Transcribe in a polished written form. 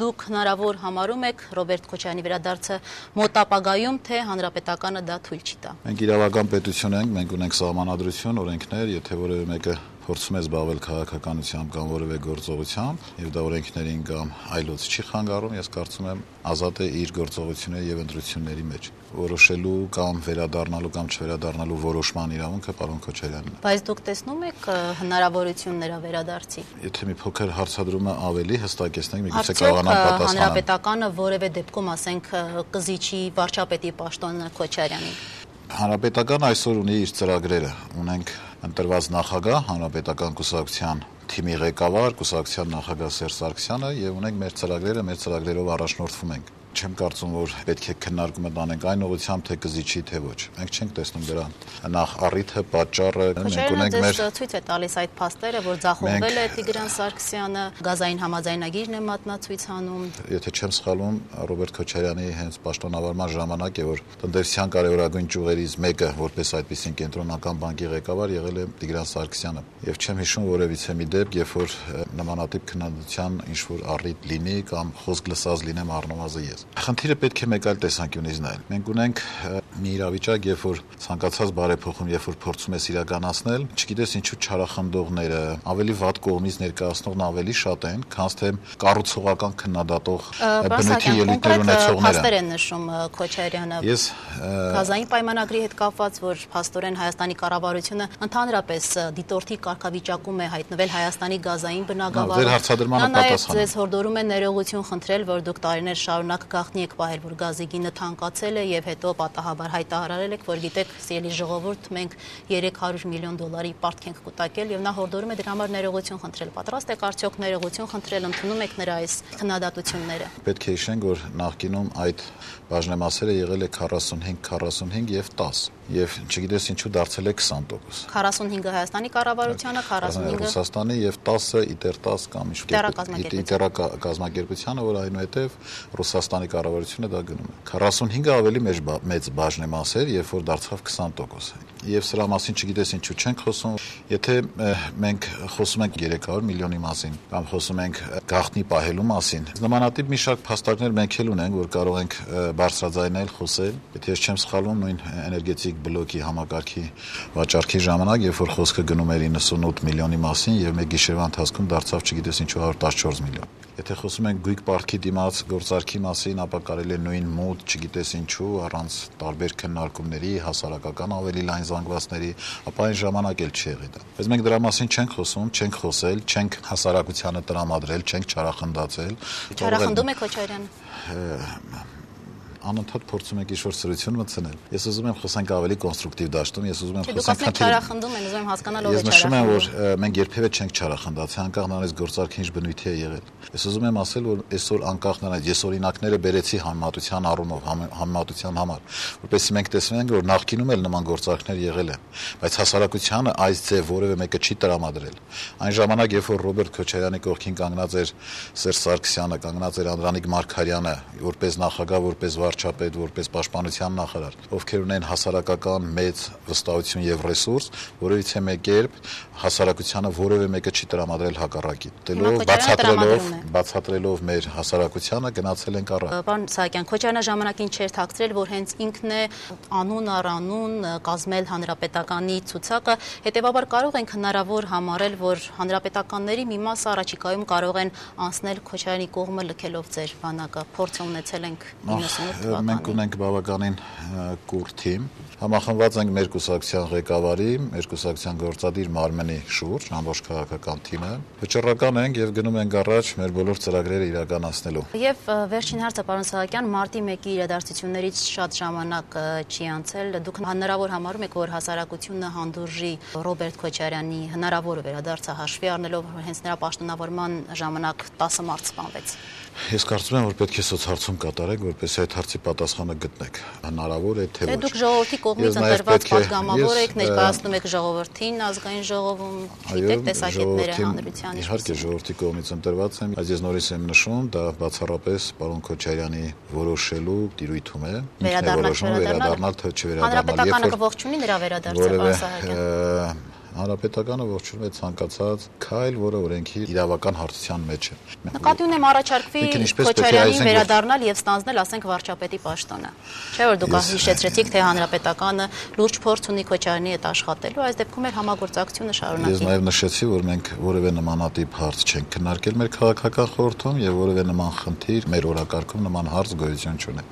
դուք հնարավոր համարում եք Ռոբերտ Քոչարյանի վերադարձը մոտ ապագայում, թե հանրապետականը դա թույլ չի տա։ Մենք իրավական պետություն ենք, մենք ունենք սահմանադրություն, օրենքներ, եթե որևէ մեկը փորձում է զբաղվել քաղաքականությամբ կամ որևէ գործողությամբ, եւ դա օրենքներին կամ այլոց չի խանգարում, ես կարծում եմ ազատ է իր գործողությունների եւ ընտրությունների մեջ որոշելու կամ վերադառնալու կամ չվերադառնալու որոշման իրավունքը պարոն Քոչարյանն է։ Բայց դուք տեսնում եք հնարավորություն նրա վերադարձի։ Եթե մի փոքր հարցադրումը ավելի հստակեցնենք, միգուցե կարողանամ պատասխանել։ Հանրապետականը որևէ դեպքում, ասենք, կզիջի վարչապետի պաշտոնը Քոչարյանին։ Հանրապետական այսօր ունի իր ծրագրերը, ունենք ընտրված նախագահ, հանրապետական կուսակցության թիմի ղեկավար, կուսակցության նախագահ Սերժ Սարգսյանը եւ ունենք մեր ծրագրերը, մեր ծրագրերով առաջնորդվում ենք։ Չեմ կարծում, որ պետք է քննարկումը տանենք այն ուղղությամբ, թե կզիջի, թե ոչ։ Մենք չենք տեսնում դրան նախ առիթը, պատճառը, մենք ունենք մեր ցույց է տալիս այդ փաստերը, որ ձախողվել է Տիգրան Սարգսյանը, գազային համաձայնագիրն է մատնացույց անում։ Եթե չեմ սխալվում, Ռոբերտ Քոչարյանի հենց պաշտոնավարման ժամանակ է, որ տնտեսության կարևորագույն ճյուղերից մեկը, որպես այդպիսին կենտրոնական բանկի ղեկավար եղել է Տիգրան Սարգսյանը։ Եվ չեմ հիշում որևիցե մի դեպք, երբ որ նմանատիպ քննադատության ինչ-որ առիթ լինի կամ խոսք լսած լինեմ առնվազն ես։ Խնդիրը պետք է մեկ այլ տեսանկյունից նայել։ Մենք ունենք մի իրավիճակ, երբ որ ցանկացած բարեփոխում, երբ որ փորձում ես իրականացնել, չգիտես ինչու չարախնդողները, ավելի վատ կողմից ներկայացնողն ավելի շատ են, քան թե կառուցողական քննադատող բնույթի ելույթներ ունեցողները։ Փաստեր են նշում Քոչարյանը։ Ես գազային պայմանագրի հետ կապված, որ փաստորեն Հայաստանի կառավարությունը ընդհանրապես դիտորդի կարգավիճակում է հայտնվել Հայաստանի գազային բնագավառում։ Ձեր հարցադրմանը պատասխան։ Ձեզ հորդորում է ներողություն խնդրել, որ դուք տարիներ շարունակ գաղտնի եք պահել, որ գազի գինը թանկացել է եւ հետո պատահաբար հայտարարել եք, որ գիտեք, սիրելի ժողովուրդ, մենք 300 միլիոն դոլարի պարտք ենք կուտակել եւ նա հորդորում է դրա համար ներողություն խնդրել։ Պատրաստ եք արդյոք ներողություն խնդրել, ընդունում եք նրա այս քննադատությունները։ Պետք է հիշենք, որ նախկինում այդ բաժնեմասերը եղել է 45 եւ 10 եւ չգիտես ինչու դարձել է 20%։ 45-ը Հայաստանի կառավարությանը, 45-ը Ռուսաստանի եւ 10-ը Իտեր 10 կամ Իտեր կազմակերպությանը, որ այնուհետեւ Ռուսաստանի կառավարությունը դա գնում է։ 45-ը ավելի մեծ բաժնեմաս էր, երբ որ դարձավ 20%։ Եվ սրա մասին չգիտես ինչու չենք խոսում, եթե մենք խոսում ենք 300 միլիոնի մասին կամ խոսում ենք գաղտնի պահելու մասին, նմանատիպ մի շարք փաստարկներ մենք էլ ունենք, որ կարող ենք բարձրաձայնել, խոսել։ Եթե ես չեմ սխալվում, նույն էներգետիկ բլոկի համակարգի վաճառքի ժամանակ, երբ որ խոսքը գնում էր 98 միլիոնի մասին եւ մեկ գիշերվա ընթացքում դարձավ չգիտես ինչու 114 միլիոն։ Եթե խոսում ենք գույք պարտքի դիմաց գործարքի մասին, ապա կարելի է նույն մոտ, չգիտես ինչու, առանց տարբեր քննարկումների, հասարակական ավելի լայն զանգվածների, ապա այն ժամանակ էլ չի եղել դա։ Բայց մենք դրա մասին չենք խոսում, չենք խոսել, չենք հասարակությանը տրամադրել, չենք չարախնդացել։ Չարախնդում է Քոչարյանը։ Անընդհատ փորձում եք ինչ-որ սրություն մտցնել։ Ես ուզում եմ խոսենք ավելի կոնստրուկտիվ դաշտում, ես ուզում եմ խոսենք չարախնդում են, ուզում եմ հասկանալ ով է չարախնդում։ Ես նշում եմ, որ մենք երբևէ չենք չարախնդացել, անկախ նրանից գործարքի ինչ բնույթի է եղել։ Ես ուզում եմ ասել, որ այսօր անկախ նրանից ես օրինակները բերեցի համեմատության առումով, համեմատության համար, որովհետեւ մենք տեսնում ենք, որ նախկինում էլ նման գործարքներ եղել են, բայց հասարակությանը այս ձև որևէ մեկը չի տրամադրել։ Այն ժամանակ, երբ որ Ռոբերտ Քոչարյանի կողքին կանգնած էր Սերժ Սարգսյանը, կանգնած էր Անդրանիկ Մարգարյանը, որպես նախագահ, որպես վարչապետ, որպես պաշտպանության նախարար, ովքեր ունեն հասարակական մեծ վստահություն եւ ռեսուրս, որովհետեւ մեկ կերպ հասարակությանը որևէ մեկը չի տրամադրել հակառակի։ Բացատրելով մեր հասարակությանը գնացել ենք առ։ Պարոն Սահակյան, Քոչարյանը ժամանակին չէր թաքցրել, որ հենց ինքն է անուն առ անուն կազմել հանրապետականի ցուցակը, հետեւաբար կարող ենք հնարավոր համարել, որ հանրապետականների մի մասը առաջիկայում կարող են անցնել Քոչարյանի կողմը լքելով ձեր բանակը։ Փորձը ունեցել ենք 98 թվականին։ Մենք ունենք բավականին կուռ թիմ, համախմբված ենք մեր կուսակցության ղեկավարի, մեր կուսակցության գործադիր մարմնի շուրջ, ամբողջ քաղաքական թիմը։ Վճռական ենք եւ գնում ենք առաջ մեր բոլոր ծրագրերը իրականացնելու։ Եվ վերջին հարցը, պարոն Սահակյան, մարտի 1-ի իրադարձություններից շատ ժամանակ չի անցել։ Դուք հնարավոր համարում եք, որ հասարակությունը հանդուրժի Ռոբերտ Քոչարյանի հնարավոր վերադարձը հաշվի առնելով, որ հենց նրա պաշտոնավարման ժամանակ 10 մարդ սպանվեց։ Ես կարծում եմ, որ պետք է սոցհարցում կատարեք, որպեսզի այդ հարցի պատասխանը գտնեք։ Հնարավոր է թե ոչ։ Դուք ժողովրդի կողմից ընտրված պատգամավոր եք, ներկայացնում եք ժողովրդին, ազգային ժողովում, գիտեք տեսակետները հանրության։ Իհարկե ժողովրդի կողմից ընտրված եմ, բայց ես նորից եմ նշում, դա բացառապես պարոն Քոչարյանի որոշելու տիրույթում է։ Վերադառնալ թե չվերադառնալ։ Հանրապետականը կողջ ունի նրա վերադարձը, պարոն Սահակյան։ Հանրապետականը ողջունում է ցանկացած քայլ, որը օրենքի իրավական հարթության մեջ է։ Նկատի ունեմ առաջարկվի Քոչարյանին վերադառնալ եւ ստանձնել, ասենք, վարչապետի պաշտոնը։ Չէ՞ որ դուք հիշեցրեցիք, թե Հանրապետականը լուրջ փորձ ունի Քոչարյանի հետ աշխատելու, այս դեպքում էլ համագործակցությունը շարունակի։ Ես նաեւ նշեցի, որ մենք որևէ նմանատիպ հարց չենք քննարկել մեր քաղաքական խորհրդում եւ որևէ նման խնդիր մեր օրակարգում նման հարց գոյություն չունի։